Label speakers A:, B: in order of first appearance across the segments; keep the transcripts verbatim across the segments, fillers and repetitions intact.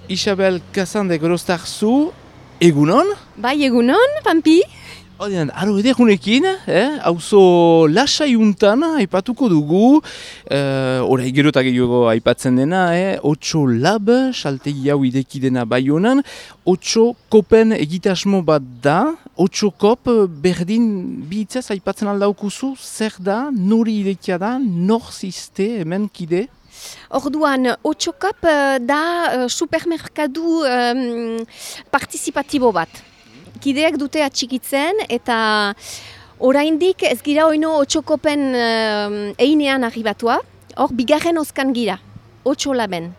A: Isabel Kazan de Grostarzu, egunon?
B: Bai, egunon, Pampi?
A: Odean, aro edegunekin, eh? Auzo lasaiuntan aipatuko dugu, eh, orai gero eta gehiago aipatzen dena, eh? Otso lab, saltegi hau ideki dena Baionan, Otso kopen egitasmo bat da, Otso kop berdin bihitzaz aipatzen aldaukuzu, zer da, nori idekia da, nor ziste hemen kide?
B: Orduan, Otso kop da uh, supermerkadu um, partizipatibo bat. Kideak dute atxikitzen eta oraindik ez gira oino Otso kopen uh, einean arribatua, hor bigarren oskan gira, Otso laben.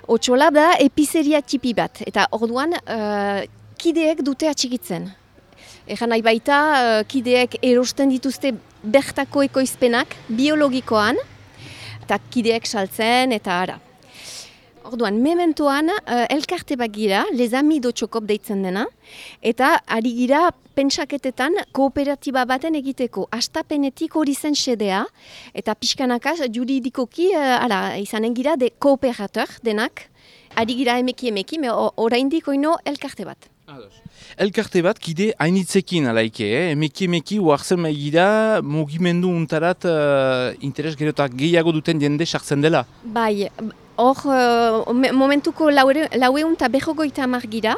B: Otso lab da epizeria tipi bat eta orduan uh, kideek dute atxikitzen. Egan nahi baita, uh, kideek erosten dituzte bertako ekoizpenak biologikoan, eta kideek saltzen eta ara. Orduan, mementoan, uh, elkarte bat gira, Les Amis d'Otso kop deitzen dena, eta ari gira pentsaketetan kooperatiba baten egiteko. Astapenetik hori zen xedea, eta pixkanaka juridikoki, uh, ara, izanen gira, de kooperateur denak, ari gira emeki emeki, me oraindik oino elkarte bat.
A: Elkarte bat, kide hainitzekin alaike, eh? emeki emeki uartzen maigira mugimendu untarat uh, interes gero eta gehiago duten jende sartzen dela.
B: Bai, hor uh, momentuko laueun eta berrogoita hamar gira.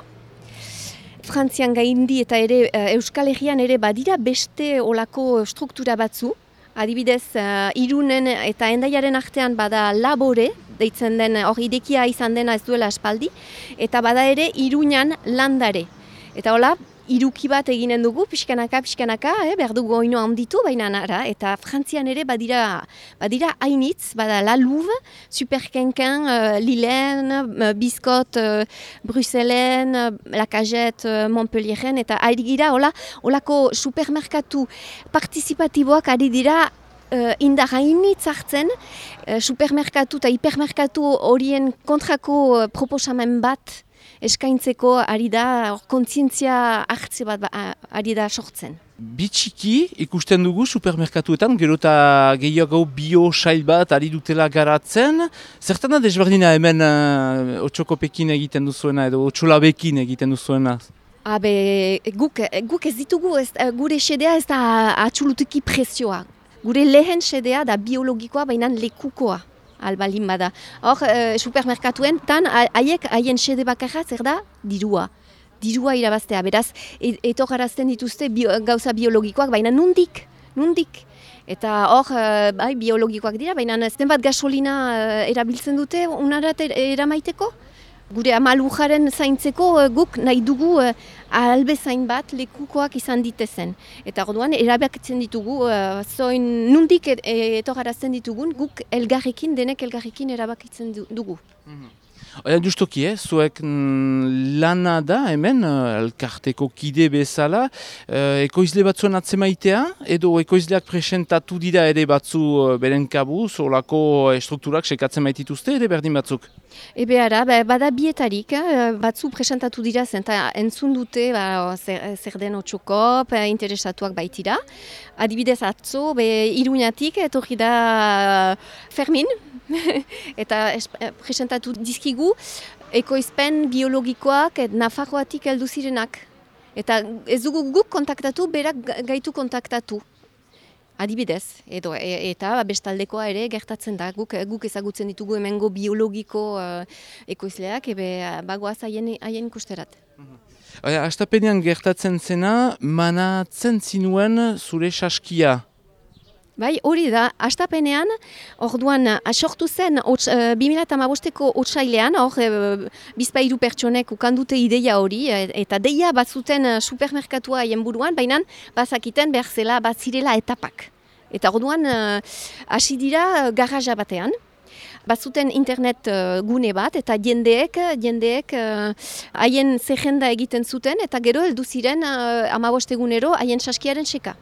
B: Frantzian gaindi eta ere uh, Euskal Herrian ere badira beste olako struktura batzu. Adibidez, uh, Irunen eta Hendaiaren artean bada labore, deitzen den hor idekia izan dena ez duela aspaldi, eta bada ere Iruñan landare. Eta hola, iruki bat eginen dugu, pixkanaka, pixkanaka, eh, behar dugu oino handitu, baina nara, eta Frantzian ere badira, badira hainitz, bada La Louve, Superkenken, uh, Lillen, uh, Biscot, uh, Bruxellen, uh, La Cagette, uh, Montpellieren, eta ari gira, hola, holako supermerkatu partizipatiboak ari dira uh, indar hainitz hartzen, uh, supermerkatu eta hipermerkatu horien kontrako uh, proposamen bat, eskaintzeko ari da, kontzientzia hartze bat ba, ari da sortzen.
A: Bitxiki ikusten dugu supermerkatuetan, gero eta gehiago bio-sail bat ari dutela garatzen. Zertan da desberdina hemen uh, Otso kopekin egiten duzuena edo Otso labekin egiten duzuena?
B: Habe, guk, guk ez ditugu, ez, gure xedea ez da atxulutuki prezioa. Gure lehen xedea da biologikoa, baina lekukoa. Albalin bada. Hor, uh, supermerkatuen, tan haiek haien xede bakarra zer da? Dirua. Dirua irabaztea. Beraz, etor garazten dituzte bio, gauza biologikoak, baina nundik, nundik. Eta hor, uh, bai, biologikoak dira, baina zenbat gasolina uh, erabiltzen dute unarat eramaiteko? Gure amalujaren zaintzeko uh, guk nahi dugu uh, albezain bat lekukoak izan ditezen. Eta orduan erabakitzen ditugu, uh, zoin nundik etogarazten ditugun, guk elgarrekin, denek elgarrekin erabakitzen dugu.
A: Mm-hmm. Oia, justoki, eh? Zuek mm, lana da hemen, elkarteko kide bezala, eh, ekoizle batzuen atzemaitea, edo ekoizleak presentatu dira ere batzu uh, beren kabuz, olako estrukturak sekatzen maitituzte ere berdin batzuk?
B: Ebe ara, bada bietarik, eh, batzu presentatu dira zen, eta entzun dute ba, zer, zer den Otso kop, interesatuak baitira. Adibidez atzo, be, Iruñatik, etorri da Fermin, eta es, presentatu dizkigu ekoizpen biologikoak et Nafarroatik heldu zirenak. Eta ez dugu guk kontaktatu, berak gaitu kontaktatu. Adibidez, edo, e, eta bestaldekoa ere gertatzen da, guk, guk ezagutzen ditugu hemengo biologiko uh, ekoizleak, ebe bagoaz haien, haien ikusterat.
A: Oia, astapenean gertatzen zena, manatzen zinuen zure saskia.
B: Bai, hori da, astapenean, orduan, asortu zen, uh, bi mila hamabosteko otsailean, hor, uh, bizpahiru pertsonek ukandute ideia hori, eta deia bat zuten uh, supermerkatua haien buruan, baina bazakiten behar zela, bat zirela etapak. Eta orduan, hasi uh, dira uh, garaja batean, bat zuten internet uh, gune bat, eta jendeek, jendeek haien uh, zerrenda egiten zuten, eta gero heldu ziren uh, hamabostegunero haien saskiaren seka.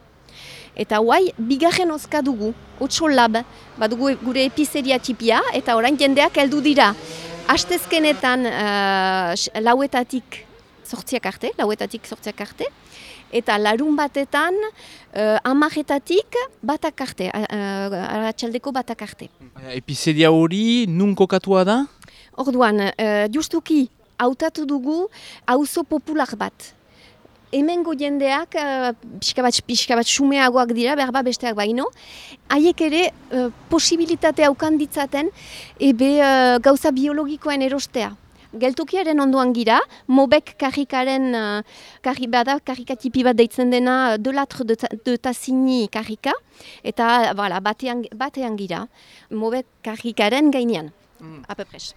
B: Eta guai, bigarren oska dugu, Otso lab, badugu gure epizeria tipia, eta orain jendeak heldu dira. Astezkenetan uh, lauetatik sortziak arte, lauetatik sortziak arte, eta larun batetan uh, amaretatik batak arte, uh, aratxaldeko batak arte.
A: Epizeria hori nun kokatua da?
B: Orduan, uh, justuki hautatu dugu auzo popular bat. Hemengo jendeak uh, pixka bat, pixka bat sumeagoak dira, behar bat besteak baino, haiek ere uh, posibilitatea ukan ditzaten ebe uh, gauza biologikoen erostea. Geltokiaren ondoan gira, Mobek karrikaren, uh, karri bada, karrikatipi bat deitzen dena de latre de, de Tassigny karrika, eta voilà, batean, batean gira, Mobek karrikaren gainean, mm. apepres.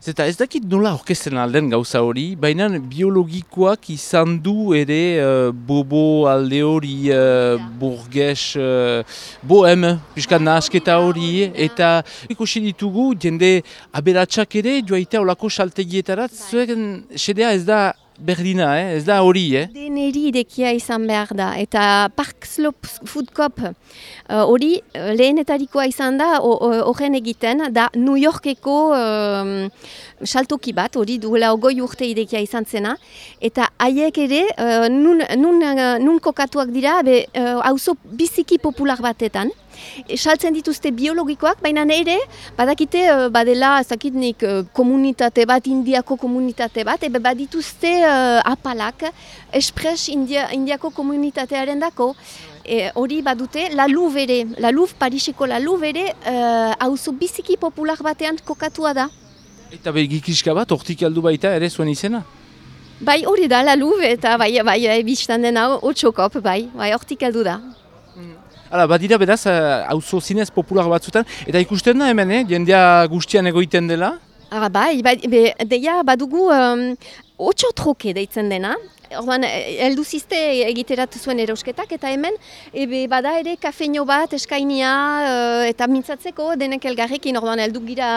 A: Zeta ez dakit nola orkesten alden gauza hori, baina biologikoak izan du ere uh, bobo alde hori, uh, burges, uh, bohem, piskat nahasketa hori, eta ikusi ditugu jende aberatsak ere joaitea olako saltegietarat, zuen sedea ez da berdina, eh? Ez da hori, eh?
B: Deneri irekia izan behar da, eta Park Slope Food Coop hori uh, lehenetarikoa izan da horren egiten, da New Yorkeko um, saltoki bat, hori duela ogoi urte irekia izan zena, eta haiek ere uh, nun, nun, uh, nun kokatuak dira, be, uh, auzo biziki popular batetan. Saltzen dituzte biologikoak, baina ere badakite badela ezakitnik komunitate bat, indiako komunitate bat, ebe badituzte uh, apalak espres India, indiako komunitatearen dako. E, hori badute, La Louve ere, La Louve, Pariseko La Louve ere, auzo uh, biziki popular batean kokatua da.
A: Eta begikiska bat, hortik aldu baita ere zuen izena?
B: Bai, hori da, La Louve, eta bai, bai, biztan dena, otxokop, bai, bai, hortik aldu da.
A: Hala, badira beraz, auzo zinez popular batzutan, eta ikusten da hemen, eh? Jendea guztian egoiten dela?
B: Ah, bai, bai, be, deia badugu um, otxo troke deitzen dena. Orduan, heldu zizte egiterat zuen erosketak, eta hemen ebe bada ere kafeino bat eskainia uh, eta mintzatzeko denek elgarrekin. Orduan, heldu gira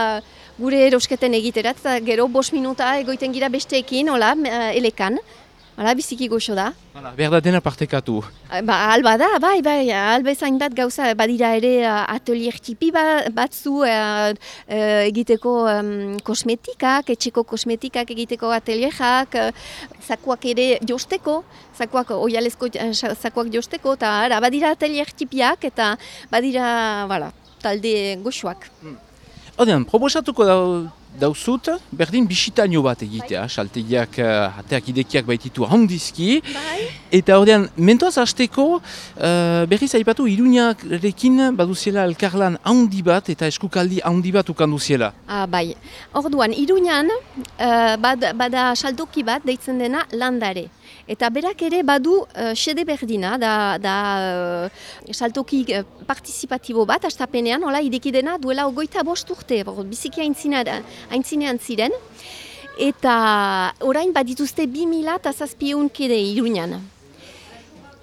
B: gure erosketen egiterat, eta gero bost minuta egoiten gira besteekin, hola, uh, elekan. Hala, biziki goxo da.
A: Hala, behar da dena partekatu.
B: Ba, alba da, bai, bai, alba ezain bat gauza, badira ere uh, atelier tipi ba, batzu uh, uh, egiteko um, kosmetikak, etxeko kosmetikak egiteko atelierak, uh, zakuak ere josteko, zakuak, oialezko uh, zakuak josteko, eta badira atelier tipiak, eta badira, voilà, talde goxoak.
A: Hmm. Odean, proposatuko da, dauzut, berdin bisitaino bat egitea, saltegiak, uh, ateak idekiak baititu handizki. Bai. Eta ordean, mentoaz hasteko, uh, berriz aipatu, Iruñarekin baduziela elkarlan handi bat eta eskukaldi handi bat ukanduziela.
B: Ah, bai. Orduan, Iruñan uh, bad, bada saltoki bat deitzen dena Landare. Eta berak ere badu uh, xede berdina, da, da uh, saltoki uh, partizipatibo bat, astapenean, hola, idekidena duela ogoita bost urte, biziki aintzinean ziren. Eta orain badituzte bi mila eta zazpieun kide Iruñan.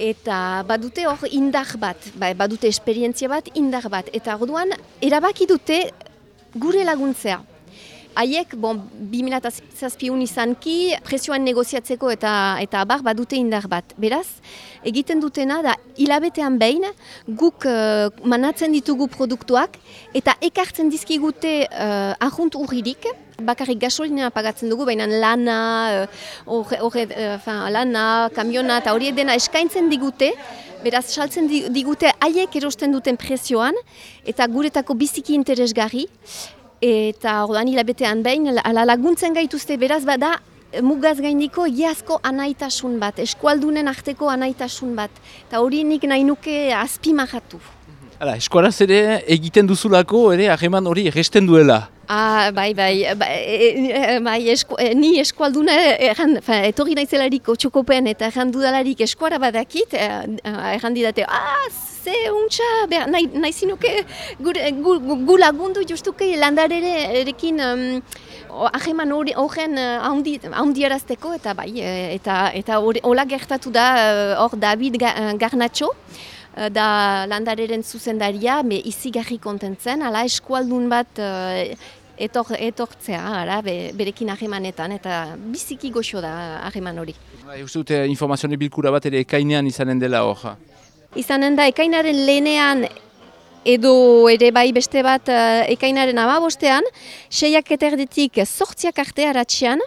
B: Eta badute hor indar bat, badute esperientzia bat, indar bat. Eta orduan erabaki dute gure laguntzea. Haiek, bon, bi mila zazpiun izanki, presioan negoziatzeko eta eta abar badute indar bat. Beraz, egiten dutena da hilabetean behin guk uh, manatzen ditugu produktuak eta ekartzen dizkigute uh, ahunt urririk, bakarrik gasolina pagatzen dugu, baina lana, uh, orre, uh, lana, kamiona eta hori dena eskaintzen digute, beraz saltzen digute haiek erosten duten presioan eta guretako biziki interesgarri. Eta ordan hilabetean behin, ala laguntzen gaituzte beraz bada mugaz gaindiko iazko anaitasun bat, eskualdunen arteko anaitasun bat. Eta hori nik nahi nuke azpimahatu.
A: Hala, eskuaraz ere egiten duzulako ere harreman hori erresten duela.
B: Ah, bai, bai, bai, e, bai esku, e, ni eskualduna erran, etorri naizelarik otxokopen eta erran dudalarik eskuara badakit, erran didate, ah, ze untxa, nahi, nahi zinuke gu, gu, gu lagundu justuke landarerekin um, aheman horren haundiarazteko, eta bai, eta eta hola gertatu da hor David Garnatxo, da landareren zuzendaria, me izigarri kontentzen, ala eskualdun bat uh, etor, etortzea, ala, be, berekin ahemanetan, eta biziki goxo da aheman hori.
A: Ba, uste dute informazioa bilkura bat ere ekainean izanen dela hor?
B: Izanen da, ekainaren lehenean edo ere bai beste bat uh, ekainaren amabostean, seiak eta erditik sortziak arte aratxean,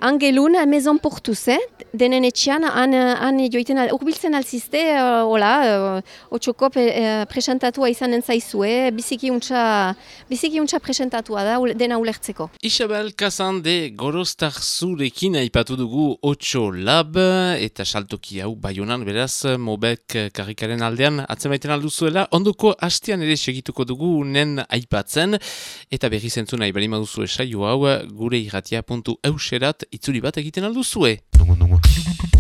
B: Angelun, Maison Portuz, eh? Denen etxean, han, han joiten, al, urbiltzen alzizte, uh, hola, uh, otxoko uh, presentatua izanen zaizue, biziki untxa, biziki untxa presentatua da, ule, dena ulertzeko.
A: Isabel Kazande Gorostarzurekin aipatu dugu Otxo Lab, eta saltoki hau Baionan beraz, Mobek karrikaren aldean atzemaiten alduzuela, ondoko hastean ere segituko dugu nen aipatzen, eta berri zentzun nahi bali maduzu esaio hau, gure irratia puntu euserat itzuli bat egiten alduzue. Dungu, dungu.